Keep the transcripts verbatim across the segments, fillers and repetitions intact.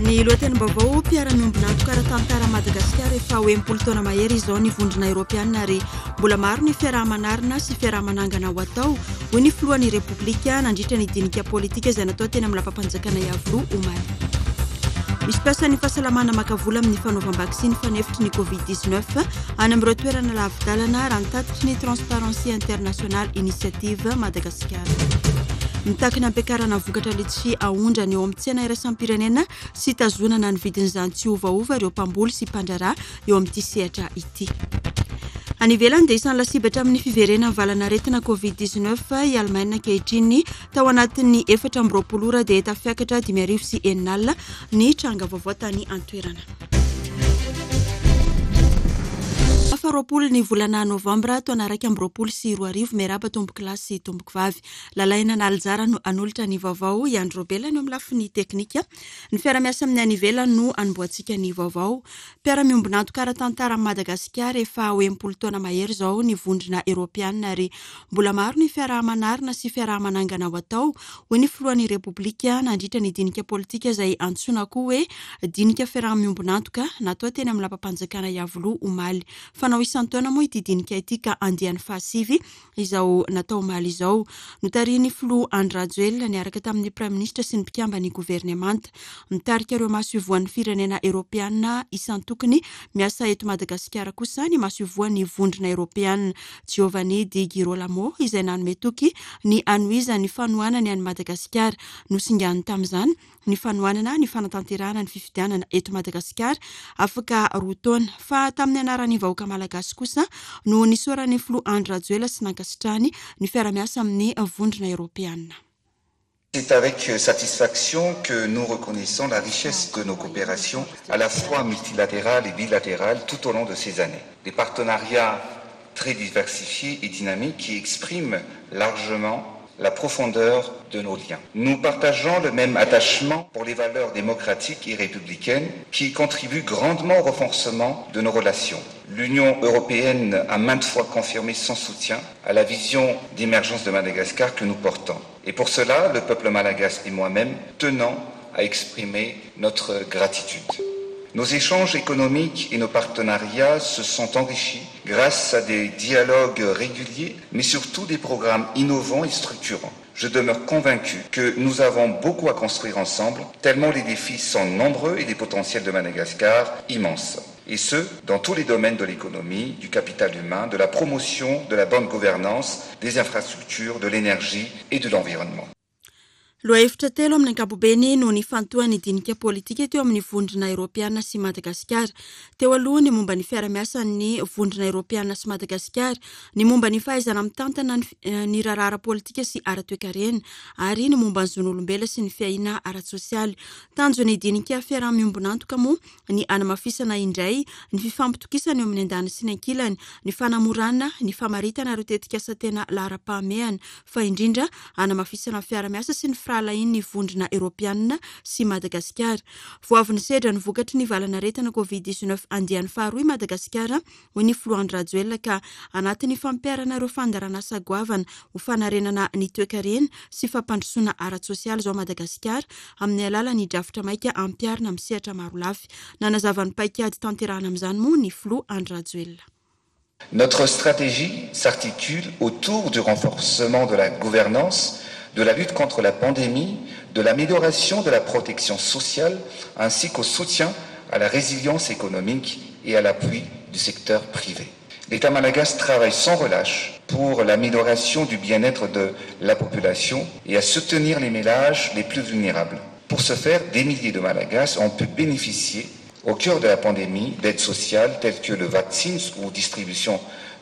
Ny lohatenim-baovao: mpiara-miombon'antoka ara-tantara Madagasikara efa ho enimpolo taona mahery izao ny Vondrona Eoropeanina, ary mbola maro ny fiaraha-manarina sy fiaraha-manangana ho atao, hoy ny filohan'ny Repoblika nandritra ny dinika politika izay natao teny amin'ny lapam-panjakana Iavoloha omaly. Misy mpiasan'ny fahasalamana maka vola amin'ny fanaovam-baksiny fanefitry ny covid dix-neuf any amin'ireo toerana lavi-dalana, raha ny tatitry ny Transparency International Initiative Madagasikara. Mitaky ny ampiakarana vokatra litchi aondrany eo amin'ny tsena iraisam-pirenena sy tazonana ny vidin'izany tsy ovaova ireo mpamboly sy mpandraharaha eo amin'ity sehatra ity. Any ivelany dia isan'ny lasibatra amin'ny fiverenan'ny valanaretina covid dix-neuf i Allemagne ankehitriny. Tao anatin'ny efatra amby roapolo ora dia tafiakatra dimy arivo sy enina alina ny tranga vaovao tany an-toerana. Faha roapolo ny volana novambra taona iraika amby roapolo sy roa arivo. Miarahaba tompoko lahy sy tompoko vavy. Lalaina Nalijara no hanolotra ny vaovao, i Andro Robela no amin'ny lafiny teknika. Ny fiara-miasa amin'ny any ivelany no hanombohantsika ny vaovao. Mpiara-miombon'antoka ara-tantara Madagasikara efa ho enimpolo taona mahery izao ny Vondrona Eoropeanina, ary mbola maro ny fiaraha-manarina sy fiaraha-manangana ho atao, hoy ny filohan'ny Repoblika nandritra ny dinika politika izay antsoina koa hoe dinika fiaraha-miombon'antoka natao teny amin'ny lapam-panjakana Iavoloha omaly. Fanao isan-taona moa ity dinika ity ka andiany fahasivy izao natao omaly izao. Notarihin'ny filoha Andry Rajoelina niaraka tamin'ny praiminisitra sy ny mpikamban'ny governemanta. Mitarika ireo maso ivoan'ny firenena eoropeanina isan-tokony miasa eto Madagasikara kosa ny maso ivoan'ny Vondrona Eoropeanina Giovanni Di Girolamo, izay nanome toky ny hanohizan'ny fanohanany an'i Madagasikara. Nosingany tamin'izany ny fanohanana ny fanatanterahana ny fifidianana eto Madagasikara afaka roa taona. Fa tamin'ny anaran'ny vahoaka malagasy kosa no nisaoran'ny filoha Andry Rajoelina sy nankasitrahany ny fiara-miasa amin'ny Vondrona Eoropeanina. C'est avec satisfaction que nous reconnaissons la richesse de nos coopérations, à la fois multilatérales et bilatérales, tout au long de ces années. Des partenariats très diversifiés et dynamiques qui expriment largement la profondeur de nos liens. Nous partageons le même attachement pour les valeurs démocratiques et républicaines qui contribuent grandement au renforcement de nos relations. L'Union européenne a maintes fois confirmé son soutien à la vision d'émergence de Madagascar que nous portons. Et pour cela, le peuple malagasy et moi-même tenons à exprimer notre gratitude. Nos échanges économiques et nos partenariats se sont enrichis grâce à des dialogues réguliers, mais surtout des programmes innovants et structurants. Je demeure convaincu que nous avons beaucoup à construire ensemble, tellement les défis sont nombreux et les potentiels de Madagascar immenses. Et ce, dans tous les domaines de l'économie, du capital humain, de la promotion, de la bonne gouvernance, des infrastructures, de l'énergie et de l'environnement. Lohahevitra telo amin'ny ankapobeny no nifantohan'ny dinika politika teo amin'ny Vondrona Eoropeana sy Madagasikara. Teo aloha ny momba ny fiara-miasan'ny Vondrona Eoropeana sy Madagasikara, ny momba ny fahaizana mitantana ny raharaha ara-politika sy ara-toekarena, ary ny momba ny zon'olombelona sy ny fiahiana ara-tsosialy. Tanjon'ny dinika fiaraha-miombon'antoka moa ny hanamafisana indray ny fifampitokisana eo amin'ny andaniny sy ny ankilany, ny fanamorana ny famaritana ireo tetikasa tena laharam-pahamehana, fa indrindra hanamafisana ny fiara-miasa sy ny firahalahian'ny Vondrona Eoropeanina sy Madagasikara. Vao avy nisedra ny vokatry ny valanaretina covid dix-neuf andiany faharoa i Madagasikara, hoy ny filoha Andry Rajoelina, ka anatin'ny fampiharana ireo fandaharanasa goavana ho fanarenana ny toekarena sy fampandrosoana ara-tsosialy izao Madagasikara amin'ny alalan'ny drafitra maika ampiharina amin'ny sehatra marolafy. Nanazava ny paikady tanterahana amin'izany moa ny filoha Andry Rajoelina. Notre stratégie s'articule autour du renforcement de la gouvernance, de la lutte contre la pandémie, de l'amélioration de la protection sociale, ainsi qu'au soutien à la résilience économique et à l'appui du secteur privé. L'État malagasy travaille sans relâche pour l'amélioration du bien-être de la population et à soutenir les ménages les plus vulnérables. Pour ce faire, des milliers de Malagasy ont pu bénéficier, au cœur de la pandémie, d'aides sociales telles que le vaccin ou distribution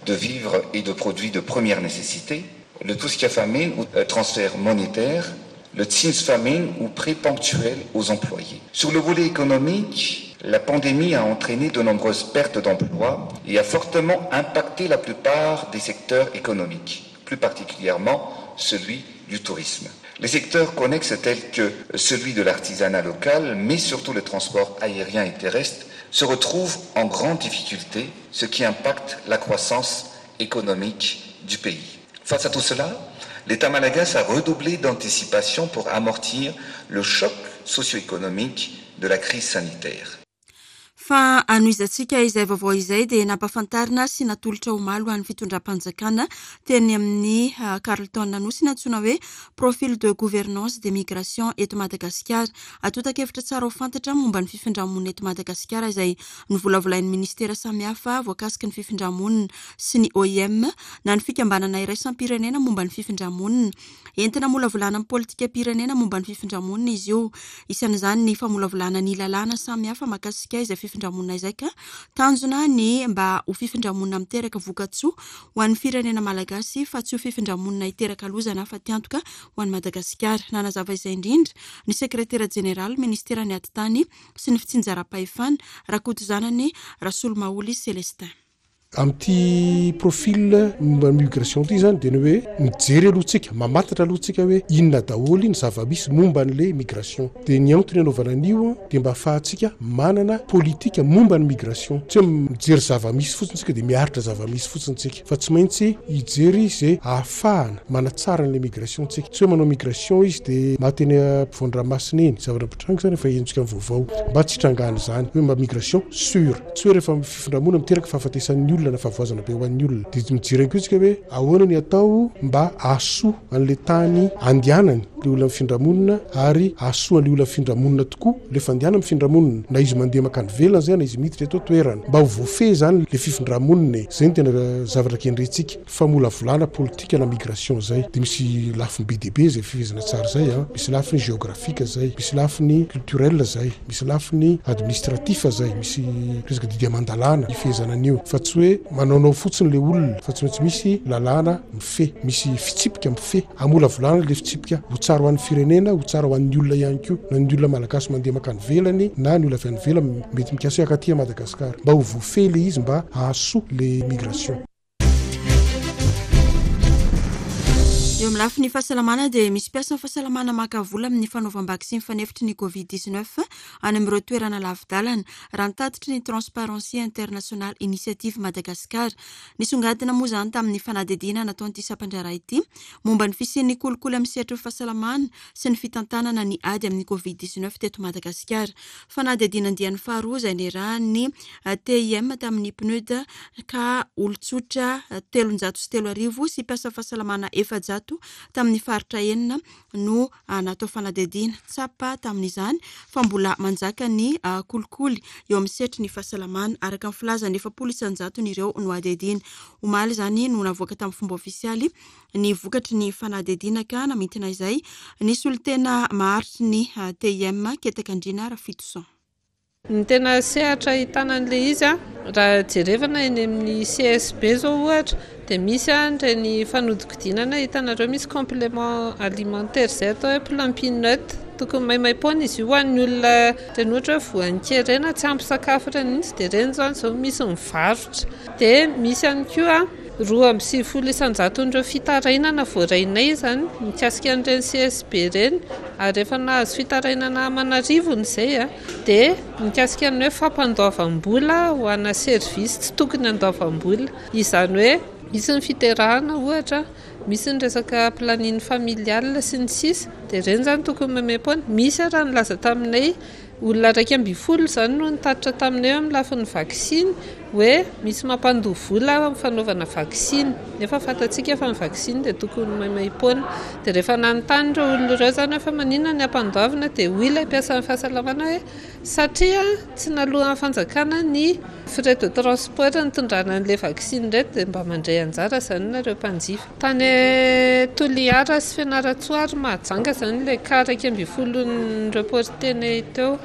de vivres et de produits de première nécessité, le Tosika Famine ou, euh, transfert monétaire, le Tsinjo Famine ou prêt ponctuel aux employés. Sur le volet économique, la pandémie a entraîné de nombreuses pertes d'emplois et a fortement impacté la plupart des secteurs économiques, plus particulièrement celui du tourisme. Les secteurs connexes tels que celui de l'artisanat local, mais surtout le transport aérien et terrestre, se retrouvent en grande difficulté, ce qui impacte la croissance économique du pays. Face à tout cela, l'État malagasy a redoublé d'anticipation pour amortir le choc socio-économiques de la crise sanitaire. Fa anohizantsika izay vaovao izay dia nampahafantarina sy natolotra omaly ho an'ny fitondram-panjakana teny amin'ny Carlton Anosy ny antsoina hoe "Profil de gouvernance des migrations eto Madagasikara". Antontan-kevitra tsara ho fantatra momba ny fifindramonina eto Madagasikara izay novolavolain'ny ministera samihafa voakasiky ny fifindramonina sy ny O I M na ny fikambanana iraisam-pirenena momba ny fifindramonina. Entina hamolavolana amin'ny politikam-pirenena momba ny fifindramonina izy io. Isan'izany ny famolavolana ny lalàna samihafa mahakasika izay fifindramonina izay, ka tanjona ny mba ho fifindramonina miteraka vokatsoa ho an'ny firenena malagasy fa tsy ho fifindramonina hiteraka loza na fatiantoka ho an'ny Madagasikara. Nanazava izay indrindra ny sekretera jeneraly ministera ny atitany sy ny fitsinjaram-pahefana, Rakotozanany Rasolomaholy Célestin. Amin'ity profil momba migration ty zany, de ny hoe mijery aloha tsika, mamantatra aloha tsika hoe inona daholo ny zava-misy momba n'le migration. De ny antony anaovana an'io de mba ahafahantsika manana politika momba ny migration. Tsy hoe mijery zava-misy fotsiny tsika de miaritra zava-misy fotsiny tsika, fa tsy maintsy hijery zay ahafahana manatsara n'le migration tsika. Tsy hoe manao migration izy de maty eny ampovoan-dranomasina eny. Zavatra mpitranga zany efa henontsika ny vaovao, mba tsy hitrangana zany, hoe mba migration sûre, tsy hoe rehefa fifindramona miteraka fahafatesan'ny olona na fahavoazana be ho an'ny olona. De mijery koa tsika hoe ahoana ny atao mba ahasoa an'le tany andehanany le olona mifindramonina, ary ahasoa an'le olona mifindramonina tokoa le fandehana mifindramonina, na izy mandeha makany velana zay na izy miditra eto toerana, mba ho voafehy zany le fifindramonina e. Zay ny tena zavatra kendrentsika, famolavolana politika na migration zay. De misy lafiny be dehibe zay fifehezana tsara zay a: misy lafiny géographique zay, misy lafiny culturel zay, misy lafiny administratif zay, misy resaka didy aman-dalàna ifehezana an'io, fa tsy hoe manaonao fotsiny le olona, fa tsy maintsy misy lalàna mifehy, misy fitsipika mifehy. Amolavolana le fitsipika ho tsara ho an'ny firenena, ho tsara ho an'ny olona ihany koa, na ny olona malagasy mandeha makany velany na ny olona avy any velany mety mikasa hoe akaty a Madagasikara, mba ho voafehy le izy, mba hahasoa le migration. Eo amin'ny lafiny fahasalamana dia misy mpiasa ny fahasalamana maka vola amin'ny fanaovam-baksiny fanefitry ny COVID dix-neuf any amin'ireo toerana lavi-dalana, raha nitatitry ny Transparency International Initiative Madagascar. Nisongadina moa izany tamin'ny fanadihadiana nataon'ity sampandraharaha ity momba ny fisian'ny kolikoly amin'ny sehatry ny fahasalamana sy ny fitantanana ny ady amin'ny COVID dix-neuf teto Madagasikara. Fanadihadiana andiany faharoa izay niarahan'ny T I M tamin'ny P N U D, ka olon-tsotra telonjato sy telo arivo sy mpiasa fahasalamana efajato tamin'ny faritra enina no natao fanadihadiana. Tsapa tamin'izany fa mbola manjaka ny kolikoly eo amin'ny sehatry ny fahasalamana, araka ny filazany efapolo isan-jatony ireo no adihadiana. Omaly izany no navoaka tamin'ny fomba ofisialy ny vokatry ny fanadihadiana, ka namintina izay ny solontena maharitry ny T I M, Ketakandriana Rafitoson. Ny tena sehatra ahitana an'ilay izy a, raha jerevana eny amin'ny C S B zao ohatra, dia misy a ireny fanodikodinana hitanareo misy complément alimentaire izay atao hoe Plumpy'Nut. Tokony maimaim-poana izy io ho an'ny olona ireny, ohatra hoe voan'ny kere na tsy ampy sakafo ireny mihitsy, dia ireny zany zao misy mivarotra. Dia misy ihany koa roa amby sivifolo isan-jaton'ireo fitarainana voarainay izany mikasika an'ireny C S B ireny, ary efa nahazo fitarainana aman'arivony izay a, dia mikasika ny hoe fampandoavam-bola ho ana service tsy tokony handoavam-bola. Izany hoe misy ny fiterahana ohatra, misy ny resaka planning familial sy ny sisa, dia ireny zany tokony maimaim-poana. Misy raha nilaza taminay olona iraika ambin'ny folo izany no nitatitra taminay eo amin'ny lafin'ny vaksiny hoe misy mampandoa vola amin'ny fanaovana vaksiny, nefa fantatsika fa ny vaksiny dia tokony maimaim-poana. Dia rehefa nanontany ireo olona ireo zany hoe fa maninona ny ampandoavina, dia hoy ilay mpiasan'ny fahasalamana hoe satria tsy naloan'ny fanjakana ny frais de transport nitondrana an'ilay vaksiny ireto, dia mba mandray anjara zany nareo mpanjifa. Tany Toliara sy Fianarantsoa ary Mahajanga zany ilay cas iraika ambin'ny folo nireportenay teo.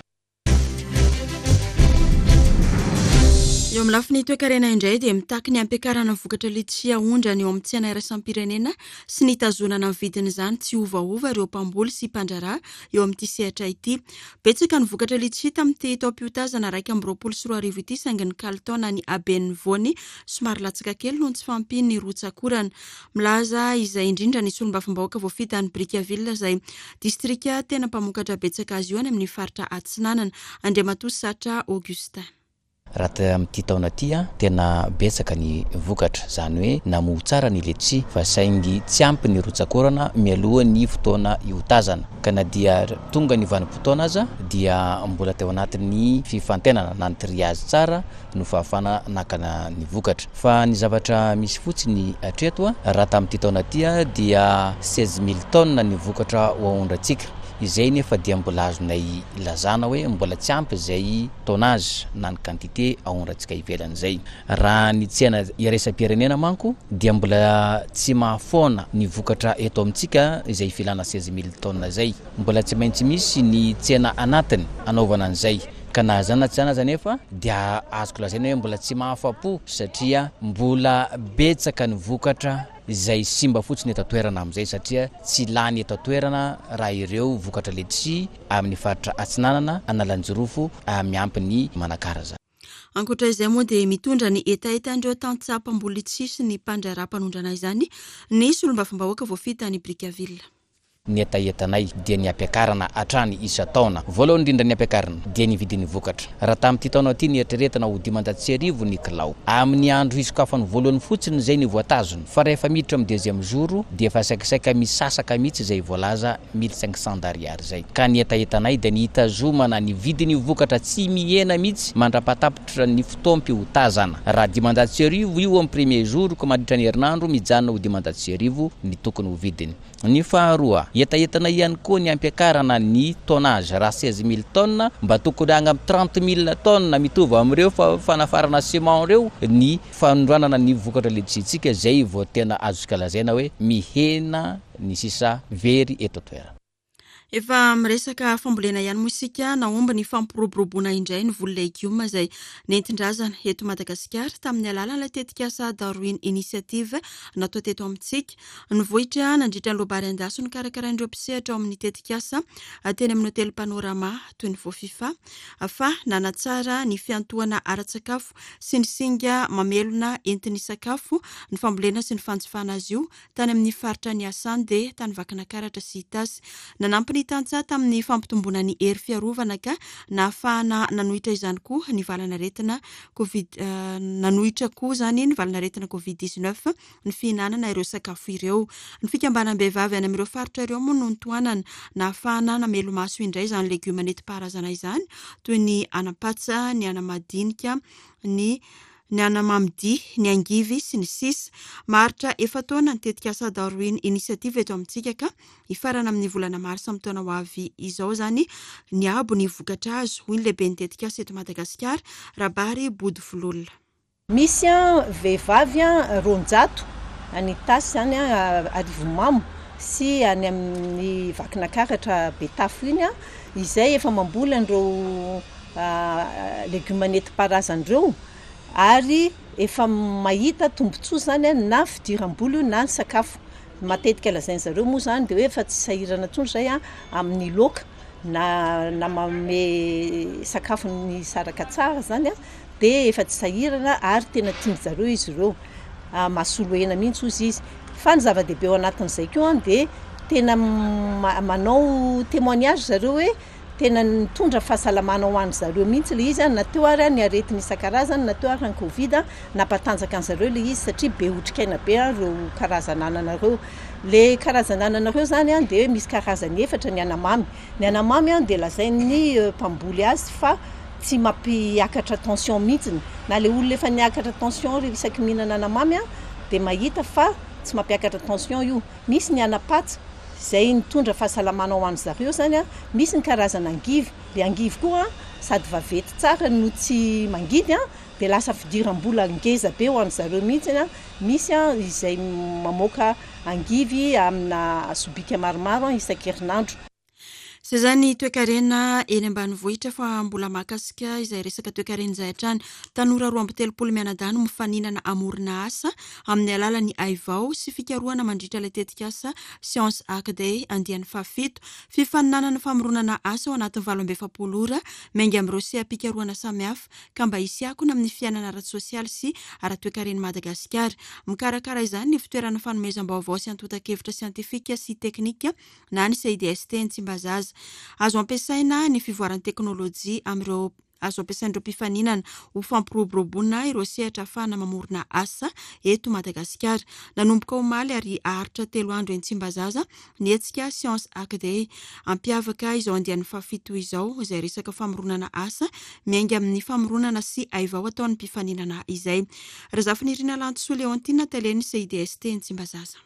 Eo amin'ny lafiny toekarena indray dia mitaky ny ampiakarana vokatra litchi aondrana eo amin'ny tsena iraisam-pirenena sy ny hitazonana ny vidin'izany tsy ovaova ireo mpamboly sy mpandraharaha eo amin'ity sehatra ity. Betsaka ny vokatra litchi tamin'ity taom-piotazana raika amby roapolo sy roa arivo ity, saingy ny kalitao na ny haben'ny voany somary latsaka kely noho ny tsy fahampian'ny rotsakorana. Milaza izay indrindra ny solombavambahoaka voafidy any Brickaville, izay distrika tena mpamokatra betsaka azy io any amin'ny faritra Atsinanana, Andriamatoa Satra Augustin. Raha amin'ity taona ity a, tena betsaka ny vokatra, izany hoe namoa tsara ny letchi, fa saingy tsy ampy ny rotsak'orana mialoha ny fotoana hiotazana. Ka na dia tonga ny vanim-potoana aza dia mbola teo anatin'ny fifantenana na ny triage tsara no fahafahana nakana ny vokatra. Fa ny zavatra misy fotsiny hatreto a, raha tamin'ity taona ity a, dia seize mille tonnes ny vokatra ho aondrantsika. Izay nefa dia mbola azonay lazana hoe mbola tsy ampy izay tonnage na ny quantité aondrantsika ivelan'izay. Raha ny tsena iraisam-pirenena manko dia mbola tsy mahafoana ny vokatra eto amintsika izay filana seize mille tonnes izay. Mbola tsy maintsy misy ny tsena anatiny anaovana an'izay. Ka na zany na tsy zany aza nefa dia azoko lazaina hoe mbola tsy mahafa-po satria mbola betsaka ny vokatra izay simba fotsiny eto an-toerana amin'izay, satria tsy lany eto an-toerana raha ireo vokatra letchi amin'ny faritra Atsinanana, Analanjirofo, miampy ny Manakara zany. Ankoatra izay moa dia mitondra ny hetahetan'ireo tantsaha mpamboly letchi sy ny mpandraharaha mpanondrana izany ny solombavambahoaka voafidy tany Brickaville. Ny hetahetanay dia ny hampiakarana hatrany isan-taona. Voalohany indrindra ny hampiakarana dia ny vidin'ny vokatra. Raha tamin'ity taona ity ny eritreretina ho dimanjato sy arivo ny kilao. Amin'ny andro hisokafany voalohany fotsiny izay ny voatazona. Fa rehefa miditra amin'ny deuxième jour dia efa saikasaika misasaka mihitsy izay voalaza mille cinq cents d'ariary izay. Ka ny hetahetanay dia ny hitazomana ny vidin'ny vokatra tsy mihena mihitsy mandra-pahatapitra ny fotoam-piotazana. Raha dimanjato sy arivo io amin'ny premier jour ka mandritra ny herinandro mijanona ho dimanjato sy arivo ny tokony ho vidiny. Ny faharoa, hetahetana ihany koa ny hampiakarana ny tonnage. Raha seize mille tonnes mba tokony any amin'ny trente mille tonnes mitovy amin'ireo fa-, fanafarana ciment ireo ny fanondranana ny vokatra letchi-tsika izay vao tena azontsika lazaina hoe mihena ny sisa very eto an-toerana. Efa miresaka fambolena ihany moa isika, nahomby ny fampiroboroboana indray ny voly legioma izay nentin-drazana eto Madagasikara tamin'ny alalan'ilay tetikasa Darwin Initiative natao teto amintsika. Nivoitra nandritra ny loabary an-daso nokarakarain'ireo mpisehatra ao amin'ny tetikasa teny amin'ny hotely Panorama toy ny Voafifa fa nanatsara ny fiantohana ara-tsakafo sy ny singa mamelona entin'ny sakafo ny fambolena sy ny fanjifana azy io tany amin'ny faritra niasany dia tany Vakinankaratra sy Itasy. Nanampy ny tantsaha tamin'ny fampitomboana ny hery fiarovana ka nahafahana nanohitra izany koa ny valanaretina Covid, eh, nanohitra koa izany ny valanaretina Covid dix-neuf ny fihinanana ireo sakafo ireo. Ny fikambanam-behivavy any amin'ireo faritra ireo moa no notohanana nahafahana namelo-maso indray izany legioma nentim-paharazana izany toy ny anam-patsa, ny anamadinika, ny ny anamamidia, ny angivy sy ny sisa. Maharitra efa-taona ny tetikasa Darwin Initiative eto amintsika ka hifarana amin'ny volana marsa amin'ny taona ho avy izao izany ny abo ny vokatra azo, hoy ny lehiben'ny tetikasa eto Madagasikara, Rabary Bodovololona. Misy a vehivavy a roanjato any Itasy izany a Arivonimamo sy any amin'ny Vakinankaratra Betafo iny a, izay efa mamboly an'ireo, a, legioma nentim-paharazana ireo ary efa mahita tombontsoa izany a, na fidiram-bola io na ny sakafo. Matetika lazain'ny zareo moa izany dia hoe efa tsy sahirana intsony izay a amin'ny laoka na, na manome sakafo ny saraka tsara izany a, dia efa tsy sahirana ary tena tian-dry zareo izy ireo. Ah, mahasolo hena mihitsy hozy izy. Fa ny zava-dehibe ao anatin'izay koa dia tena ma-, manao témoignage zareo hoe tena nitondra fahasalamana ho an'ny zareo mihitsy ilay izy, na teo ary ny aretina isan-karazany, na teo ary ny Covid, nampatanjaka an' zareo ilay izy satria be otrikaina be ireo karazana anana ireo. Le karazana anana ireo izany a, dia misy karazany efatra ny anamamy. Ny anamamy a, dia lazain'ny, euh, mpamboly azy fa tsy mampiakatra tension mihitsiny. Na le olona efa niakatra tension rehefa isaky mihinana anamamy a, dia mahita fa tsy mampiakatra tension io. Misy ny anapatsa izay nitondra fahasalamana ho an'ny zareo izany a. Misy ny karazana angivy. Le angivy koa a, sady vaventy tsara no tsy mangidy a, dia lasa fidiram-bola ngeza be ho an'ny zareo mihitsy a. Misy a izay mamoaka angivy amina sobika maromaro a isan-kerinandro. Izay izany toekarena eny ambanivohitra fa mbola mahakasika izay resaka toekarena izay hatrany. Tanora roa amby telopolo mianadahy no mifaninana hamorona asa amin'ny alalan'ny haivao sy fikarohana mandritra ilay tetikasa Science Hack Day andiany fahafito. Fifaninanana famoronana asa ao anatin'ny valo amby efapolo ora miainga amin'ireo seha-pikarohana samihafa ka mba hisy akony amin'ny fiainana ara-tsosialy sy ara-toekaren'i Madagasikara. Mikarakara izany ny fitoerana fanomezam-baovao sy antontan-kevitra siantifika sy teknika na ny C I D S T ny Tsimbazaza. Azo ampiasaina ny fivoaran'ny teknôlôjia amin'ireo azo ampiasain'ireo mpifaninana ho fampiroboroboana ireo sehatra ahafahana mamorona asa eto Madagasikara. Nanomboka omaly ary haharitra telo andro eny Tsimbazaza ny hetsika Science Hack Day. Hampiavaka izao andiany fahafito izao izay resaka famoronana asa miainga amin'ny famoronana sy haivao ataon'ny mpifaninana izay. Razafinirina Lantosoa Leontine, talen'ny C I D S T eny Tsimbazaza.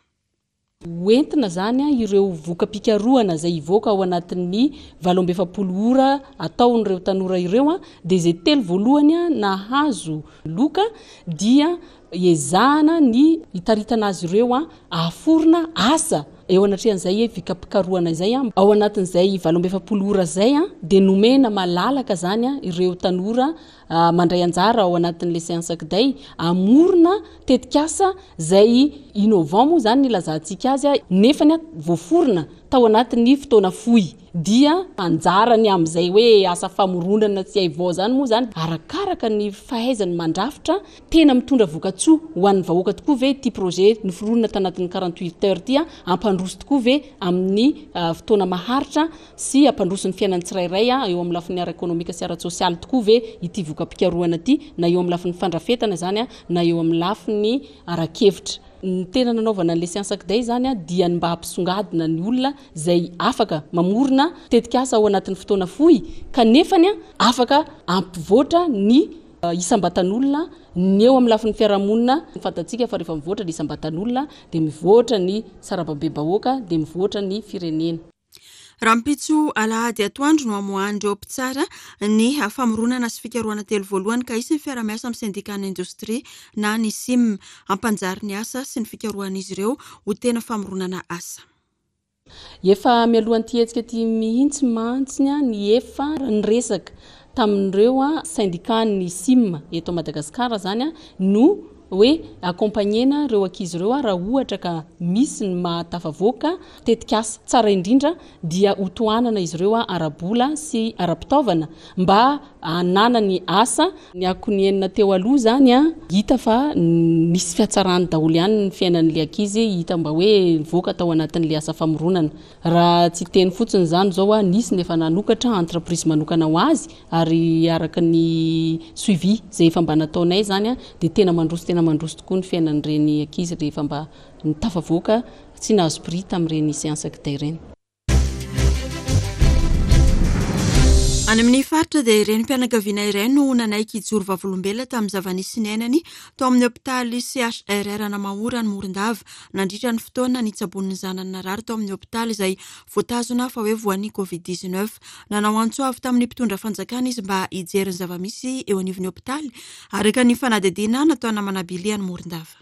Hoentina zany a ireo voka-pikarohana izay hivoaka ao anatin'ny valo amby efapolo ora ataon'ireo tanora ireo a dia izay telo voalohany a nahazo loka dia ezahana ny hitaritana azy ireo a ahaforona asa eo anatrehan'izay voka-pikarohana izay a ao anatin'izay valo amby efapolo ora zay a dia nomena malalaka zany a ireo tanora mandray anjara ao anatin'le Science Hack Day amorona tetikasa zay innovant moa zany ny ilazantsika azy a nefany a voaforona tao anatin'ny fotoana fohy. Dia anjarany amin'izay hoe asa famoronana tsy haivao zany moa zany arakaraka ny fahaizany mandrafitra tena mitondra vokatsoa ho an'ny vahoaka tokoa ve ty projet noforonina tanatin'ny quarante-huit heures ty a ampandroso tokoa ve amin'ny fotoana maharitra sy ampandroso ny fiainany tsirairay a eo amin'ny lafiny ara-ekonomika sy ara-tsosialy tokoa ve ity voka-pikarohana ty, na eo amin'ny lafiny fandrafetana zany a na eo amin'ny lafiny ara-kevitra. Ny tena nanaovana an'le Science Hack Day zany a dia ny mba hampisongadina ny olona zay afaka mamorona tetikasa ao anatin'ny fotoana fohy kanefany a afaka ampivoatra ny isam-batan'olona ny eo amin'ny lafiny fiarahamonina. Fantatsika fa rehefa mivoatra ny isam-batan'olona dia mivoatra ny sarambabem-bahoaka, dia mivoatra ny firenena. Rahampitso alahady atoandro no amoahan'ireo mpitsara ny famoronana sy fikarohana telo voalohany, ka hisy ny fiarahamiasa amin'ny syndicat indostria na ny SIM hampanjary ny asa sy ny fikarohan'izy ireo ho tena famoronana asa. Efa mialohan'ity hetsika ty mihitsy mantsiny a ny efa niresaka tamin'ireo a syndicat ny SIM eto Madagasikara zany a no hoe accompagnena ireo ankizy ireo a raha ohatra ka misy ny mahatafavoaka tetikasa tsara indrindra dia hotohanana izy ireo a ara-bola sy ara-pitaovana mba hananany asa. Ny akony enina teo aloha zany a hita fa nisy fiatsarany daholo ihany ny fiainan'le ankizy, hita mba hoe nivoaka tao anatin'le asa famoronana. Raha tsy teny fotsiny zany zao a nisy nefa nanokatra entreprise manokana ho azy, ary araka ny suivi zay efa mba nataonay zany a dia tena mandroso, tena mandroso tokoa ny fiainan'ireny ankizy rehefa mba nitafavoaka tsy nahazo prix tamin'ireny Science Hack Day ireny. Any amin'ny faritra dia renim-pianakaviana iray no nanaiky hijoro vavolombelona tamin'ny zava-nisy niainany tao amin'ny hopitaly C H R R Namahora ny Morondava nandritra ny fotoana nitsaboan'ny zanany narary tao amin'ny hopitaly izay voatazona fa hoe voan'ny covid dix-neuf. Nanao antso avy tamin'ny mpitondra fanjakana izy mba hijery ny zava-misy eo anivon'ny hopitaly, araka ny fanadihadiana nataona manabili any Morondava.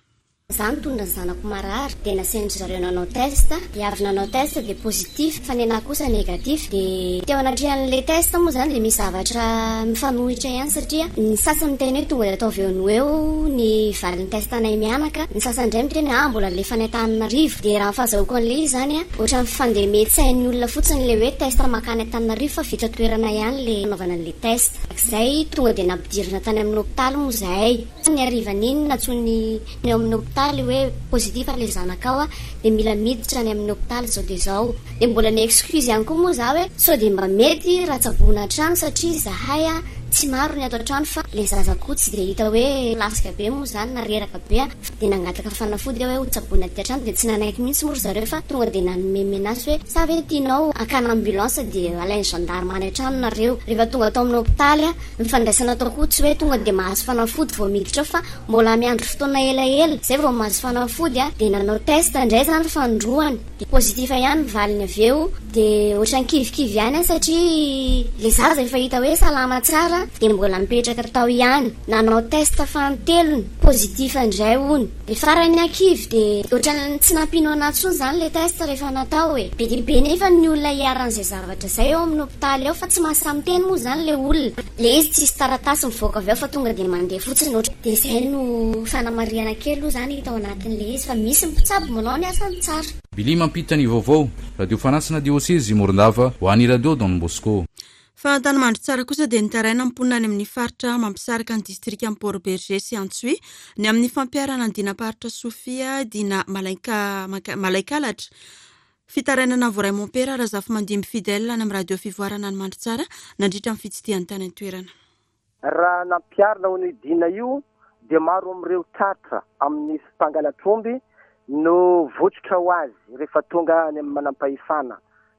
Za nitondra ny zanako marary dia nasain-dry zareo nanao test, dia avy nanao test dia positif fa ny anahy kosa négatif. Dia teo anatrehan'le test moa zany dia misy zavatra mifanohitra ihany, satria ny sasany miteny hoe tonga dia ataovy eo no eo ny valin'ny test anay mianaka, ny sasany indray miteny ah mbola alefa any Antananarivo. Dia raha ny fahazahoako an'le izy zany a ohatran'ny fandeha-metsain'ny olona fotsiny le hoe test makany Antananarivo fa vita toerana ihany le anaovana an'le test. Zay tonga dia nampidirina tany amin'ny hopitaly moa zahay ny harivan'iny, nantsoiny eo amin'ny hopitaly hoe positif le zanakao a dia mila miditra any amin'ny hopitaly zao. Dia zao dia mbola ny excuse ihany koa moa za hoe sao dia mba mety raha tsaboina an-trano, satria zahay a tsy maro ny ato an-trano fa le zaza koa tsy dia hita hoe lasika be moa zany na reraka be a dia nangataka fanafody hoe ho tsaboina aty an-trano. Dia tsy nanaiky mihitsy moa ry zareo fa tonga dia nanome menace hoe sa ve tianao akana ambulance dia alainy gendarme any an-trano nareo. Rehefa tonga tao amin'ny hopitaly a ny fandraisana atao koa tsy hoe tonga dia mahazo fanafody vao miditra ao fa mbola miandry fotoana elaela zay vao mahazo fanafody a dia nanao test indray zany fanindroany dia positif ihany ny valiny avy eo. Dia ohatran'ny kivikivy ihany a satria le zaza efa hita hoe salama tsara dia mbola mipetraka tao ihany. Nanao test fanintelony, positif indray hony. Dia farany akivy dia ohatran'ny tsy nampino anahy intsony zany le test rehefa natao e be dia be nefa ny olona iharan'izay zavatra zay eo amin'ny hopitaly ao fa tsy mahasamy teny moa zany le olona, le izy tsisy taratasy mivoaka avy ao fa tonga dia mandeha fotsiny ohatra. Dia zay no fanamarihana kely aloha zany hita ao anatin'le izy fa misy mpitsabo manao ny asany tsara. Bili mampita ny vaovao, radio fanasina diosezy Morondava ho an'ny radio Don Bosco. Fa Antanimandro kosa dia nitaraina mponina any amin'ny faritra mampisaraka ny distrika amin'ny Port Bergé sy Antsohihy ny amin'ny fampiharana ny dinam-paritra Sofia dina malaika malaikalatra. Fitarainana voaray mompera Razafimandimby Fidèle any amin'ny radio Fivoarana ny Mandritsara nandritra ny fitsidihany tany an-toerana. Raha nampiharina ho an'io dina io dia maro amin'ireo tratra amin'ny mpangalatr'omby no votsotra ho azy rehefa tonga any amin'ny manam-pahefana.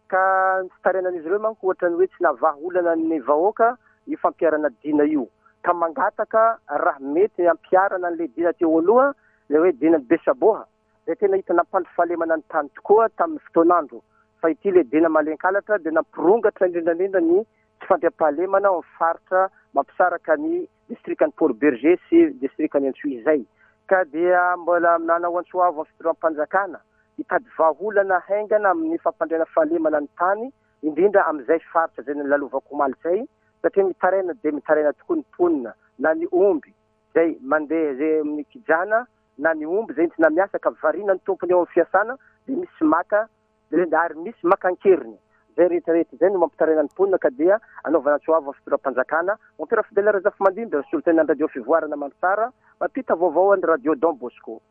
Ka ny fitarainan'izy ireo manko ohatra ny hoe tsy navaha olana ny vahoaka io fampiharana dina io. Ka mangataka raha mety ampiharana an'ilay dina teo aloha, ilay hoe dina Besaboha, izay tena hita nampandry fahalemana ny tany tokoa tamin'ny fotoan'andro. Fa ity ilay dina Malenkalatra dia nampirongatra indrindra indrindra ny tsy fandriampahalemana ao amin'ny faritra mampisaraka ny distrikan'i Port Bergé sy distrikan'i Antsohihy izay. Ka dia mbola nanao antso avo amin'ny fitondram-panjakana hitady vahaolana haingana amin'ny fampandriana fahalemana ny tany, indrindra amin'izay faritra izay nolalovako omaly izay, satria mitaraina dia mitaraina tokoa ny mponina, na ny omby izay mandeha izay amin'ny kijana, na ny omby izay entina miasa ka variana ny tompony eo amin'ny fiasana dia misy maka ary misy maka an-keriny. Izay rehetrarehetra izay no mampitaraina ny mponina ka dia anaovana antso avo amin'ny fitondram-panjakana. Mompera Fidèle Razafimandimby, solontenan'ny Radio Fivoarana Mandritsara, mampita vaovao an'ny Radio Don Bosco.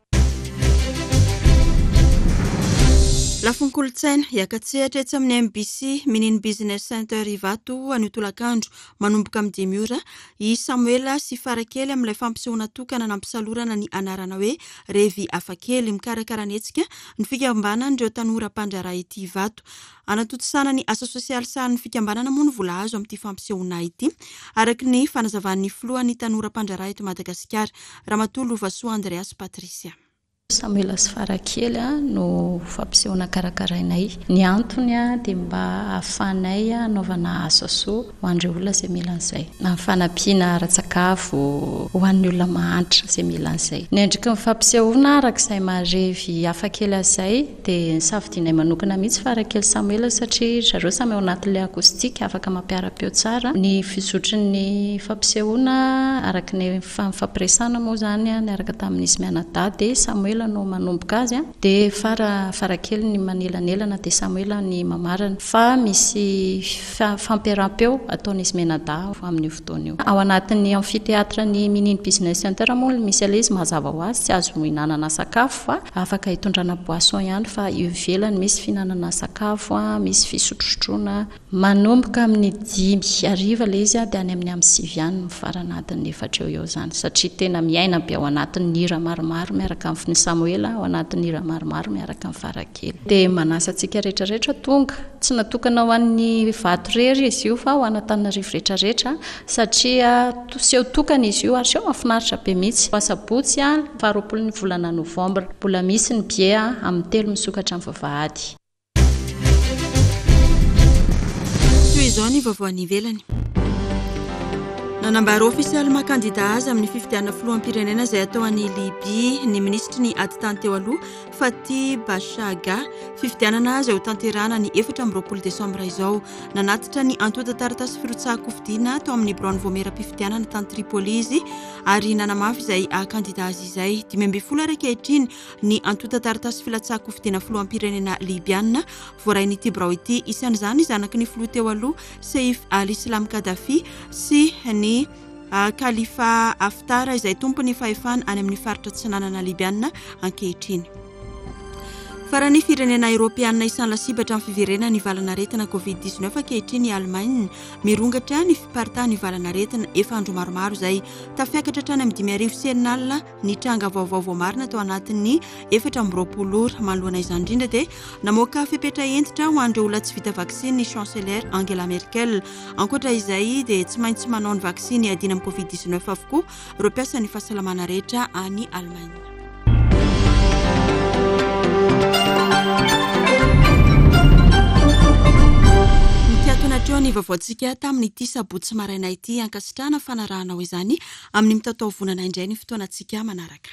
Lafiny kolontsaina, hiaka-tsehatra etsy amin'ny M B C Minin Business Center Ivato anio tolakandro manomboka amin'ny dimy ora i Samoela sy Farakely amin'ilay fampisehoana tokana nampisalorana ny anarana hoe Revy Hafakely. Mikarakara ny hetsika ny fikambanan'ireo tanora mpandraharaha ity Ivato. Anatontosana ny asa sosialy sahanin'ny fikambanana moa ny vola azo amin'ity fampisehoana ity, araka ny fanazavan'ny filohan'ny tanora mpandraharaha eto Madagasikara, Ramatoa Lovasoa Andreas Patricia. Samoela sy Farakely no fampisehoana karakarainay. Ny antony dia mba ahafahanay hanaovana asa soa ho an'ireo olona izay mila an'izay. Na fanampiana ara-tsakafo ho an'ny olona mahantra izay mila an'izay. Ny endriky ny fampisehoana araka izay maharevy hafakely azy izay dia nisafidianay manokana mihitsy Farakely Samoela satria zareo samy ao anatin'ilay acoustique afaka mampiara-peo tsara. Ny fizotry ny fampisehoana araka ny fampiresana moa izany niaraka tamin'izy mianadahy dia Samoela no manomboka azy, dia fara, Farakely ny manelanelana dia Samoela ny mamarana. Fa misy fa-, fampiaraham-peo ataon'izy mianadahy amin'io fotoana io. Ao anatin'ny amphithéâtre ny Minin Business Center moa misy ilay izy mazava ho azy, tsy azo hihinanana sakafo fa afaka hitondrana boisson ihany, fa eo ivelany misy fihinanana sakafo, misy fisotrosotroana. Manomboka amin'ny dimy hariva ilay izy dia any amin'ny amin'ny sivy any mifarana adiny efatra eo eo izany, satria tena miaina be ao anatin'ny hira maromaro miaraka amin'ny Samoela, ao anatin'ny hira maromaro miaraka amin'ny Farakely. Dia manasa antsika rehetrarehetra tonga, tsy natokana ho an'ny Ivato irery izy io fa ho an'Antananarivo rehetrarehetra, satria seho tokana izy io ary seho mahafinaritra be mihitsy. Asabotsy faharoapolo ny volana novambra, mbola misy ny billet amin'ny telo misokatra amin'ny vavahady. Toy izao ny vaovao any ivelany. Nanambara ofisialy maha kandida azy amin'ny fifidianana filoham-pirenena izay atao any Libia ny minisitry ny ady tany teo aloha Fathi Bachagha. Fifidianana izay ho tanterahana ny efatra amby roapolo desambra izao. Nanatitra ny antontan-taratasy firotsahan-kofidiana tao amin'ny biraon'ny voamieram-pifidianana tany Tripoli izy ary nanamafy izay haha kandida azy izay. Dimy ambin'ny folo ary ankehitriny ny antontan-taratasy filatsahan-kofidiana filoham-pirenena libiana voarain'ity birao ity. Isan'izany zanaky ny filoha teo aloha Saif al-Islam Gaddafi sy ny Khalifa Haftar izay tompon'ny fahefana any amin'ny faritra atsinanana libiana ankehitriny. Farany firenena eoropeanina isan'ny lasibatra amin'ny fiverenan'ny valanaretina covid dix-neuf ankehitriny i Allemagne. Mirongatra ny fiparitahan'ny valanaretina efa andro maromaro izay. Tafiakatra hatrany amin'ny dimy arivo sy enina alina ny tranga vaovao voamarina tao anatin'ny efatra amby roapolo ora. Manoloana izany indrindra dia namoaka fepetra hentitra ho an'ireo olona tsy vita vaksiny ny chancelière Angela Merkel. Ankoatra izay dia tsy maintsy manao ny vaksiny hiadiana amin'ny covid dix-neuf avokoa ireo mpiasan'ny fahasalamana rehetra any Allemagne. Mikatona hatreo ny vaovaontsika tamin'ity sabotsy maraina ity. Ankasitrahana fanarahanao izany amin'ny mitatao vonana indray ny fotoanantsika manaraka.